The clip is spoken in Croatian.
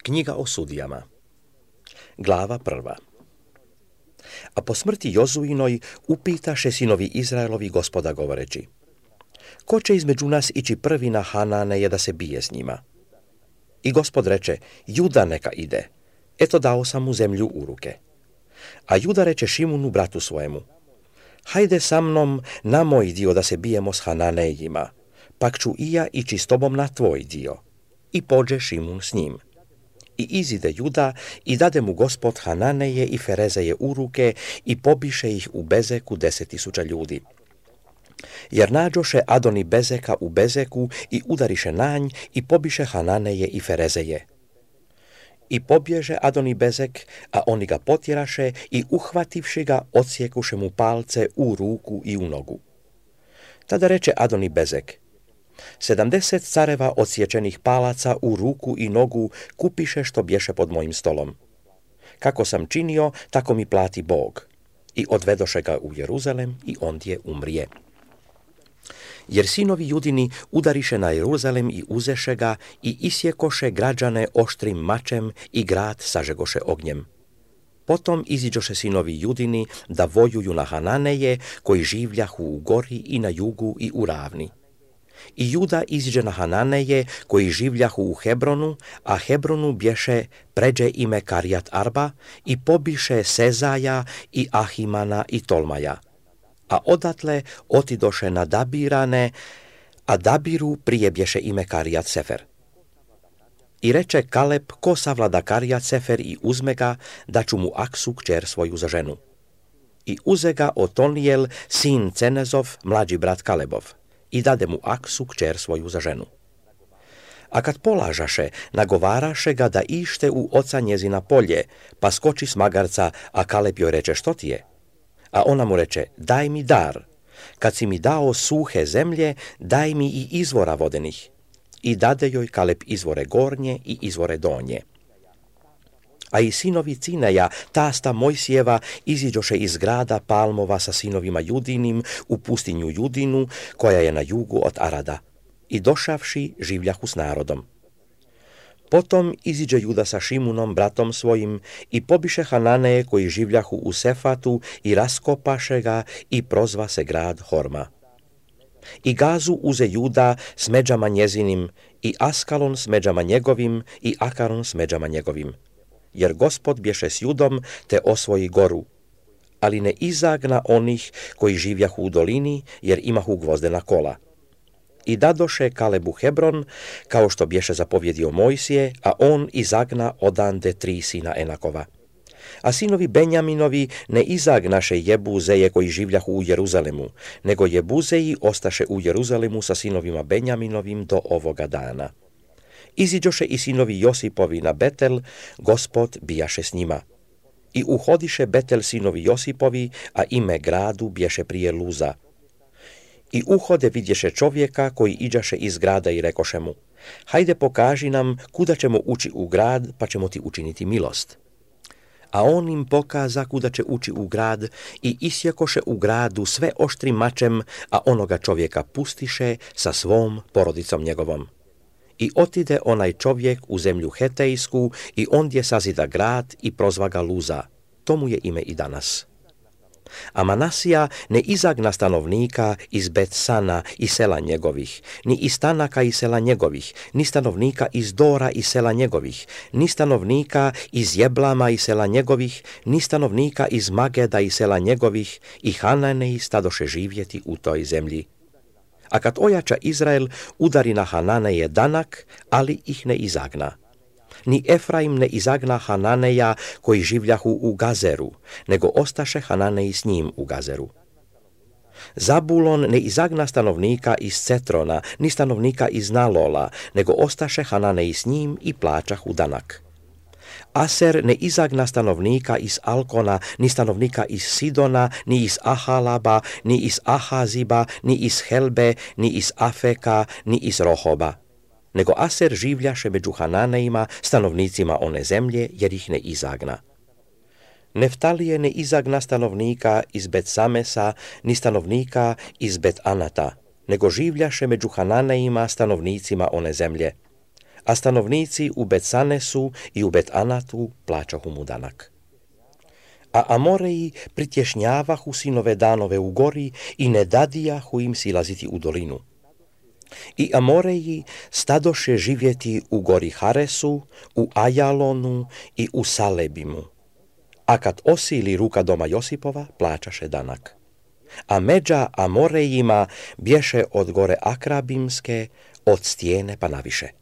Knjiga o sudijama. Glava 1. A po smrti Jozuinoj upitaše sinovi Izraelovi Gospoda govoreći: ko će između nas ići prvi na Hananeje da se bije s njima? I Gospod reče: Juda neka ide, eto dao sam mu zemlju u ruke. A Juda reče Šimunu bratu svojemu: hajde sa mnom na moj dio da se bijemo s Hananejima, pak ću i ja ići s tobom na tvoj dio. I pođe Šimun s njim. I izide Juda i dade mu Gospod Hananeje i Ferezeje u ruke i pobiše ih u Bezeku 10.000 ljudi. Jer nađoše Adoni Bezeka u Bezeku i udariše nanj i pobiše Hananeje i Ferezeje. I pobježe Adoni Bezek, a oni ga potjeraše i uhvativši ga odsjekuše mu palce u ruku i u nogu. Tada reče Adoni Bezek: 70 careva odsječenih palaca u ruku i nogu kupiše što bješe pod mojim stolom. Kako sam činio, tako mi plati Bog. I odvedoše ga u Jeruzalem i ondje umrije. Jer sinovi Judini udariše na Jeruzalem i uzeše ga i isjekoše građane oštrim mačem i grad sažegoše ognjem. Potom iziđoše sinovi Judini da vojuju na Hananeje koji življahu u gori i na jugu i u ravni. I Juda iziđe na Hananeje koji življahu u Hebronu, a Hebronu bješe pređe ime Karijat Arba i pobiše Sezaja i Ahimana i Tolmaja. A odatle otidoše na Dabirane, a Dabiru prije bješe ime Karijat Sefer. I reče Kaleb: ko savlada Karijat Sefer i uzme ga, da ću mu Aksu kćer svoju za ženu. I uze ga Otonijel, sin Cenezov, mlađi brat Kalebov, i dade mu Aksu kćer svoju za ženu. A kad polažaše, nagovaraše ga da ište u oca njezina polje, pa skoči s magarca, a Kaleb joj reče: što ti je? A ona mu reče: daj mi dar, kad si mi dao suhe zemlje, daj mi i izvora vodenih. I dade joj Kaleb izvore gornje i izvore donje. A i sinovi Cineja, tasta Mojsijeva, iziđoše iz grada Palmova sa sinovima Judinim u pustinju Judinu, koja je na jugu od Arada, i došavši življahu s narodom. Potom iziđe Juda sa Šimunom, bratom svojim, i pobiše Hananeje koji življahu u Sefatu i raskopaše ga i prozva se grad Horma. I Gazu uze Juda s međama njezinim, i Askalon s međama njegovim, i Akaron s međama njegovim. Jer Gospod bješe s Judom, te osvoji goru, ali ne izagna onih koji živjahu u dolini, jer imahu gvozdena kola. I dadoše Kalebu Hebron, kao što bješe zapovjedio Mojsije, a on izagna odande 3 sina Enakova. A sinovi Benjaminovi ne izagnaše Jebuzeje koji življahu u Jeruzalemu, nego Jebuzeji ostaše u Jeruzalemu sa sinovima Benjaminovim do ovoga dana. Iziđoše i sinovi Josipovi na Betel, Gospod bijaše s njima. I uhodiše Betel sinovi Josipovi, a ime gradu bješe prije Luza. I uhode vidješe čovjeka koji iđaše iz grada i rekoše mu: hajde pokaži nam kuda ćemo ući u grad, pa ćemo ti učiniti milost. A on im pokaza kuda će ući u grad i isjekoše u gradu sve oštrim mačem, a onoga čovjeka pustiše sa svom porodicom njegovom. I otide onaj čovjek u zemlju Hetejsku i ondje sazida grad i prozva ga Luza. To mu je ime i danas. A Manasija ne izagna stanovnika iz Betsana i sela njegovih, ni iz Tanaka i sela njegovih, ni stanovnika iz Dora i sela njegovih, ni stanovnika iz Jeblama i sela njegovih, ni stanovnika iz Mageda i sela njegovih, i Hananeji stadoše živjeti u toj zemlji. A kad ojača Izrael, udari na Hananeje danak, ali ih ne izagna. Ni Efraim ne izagna Hananeja koji življahu u Gazeru, nego ostaše Hananeji s njim u Gazeru. Zabulon ne izagna stanovnika iz Cetrona, ni stanovnika iz Nalola, nego ostaše Hananeji s njim i plaćahu danak. Aser ne izagna stanovnika iz Alkona, ni stanovnika iz Sidona, ni iz Ahalaba, ni iz Ahaziba, ni iz Helbe, ni iz Afeka, ni iz Rohoba. Nego Aser življaše među Hananejima, stanovnicima one zemlje, jer ih ne izagna. Neftalije ne izagna stanovnika iz Bet-Samesa, ni stanovnika iz Bet-Anata, nego življaše među Hananejima, stanovnicima one zemlje. a stanovníci u Bet-Sanesu i u Bet-Anatu plaćahu mu danak. A Amoreji pritješnjavahu sinove Danove u gori i ne dadijahu im silaziti u dolinu. I Amoreji stadoše živjeti u gori Haresu, u Ajalonu i u Salebimu. A kad osili ruka doma Josipova, plaćaše danak. A međa Amorejima bješe od gore Akrabimske, od stijene pa naviše.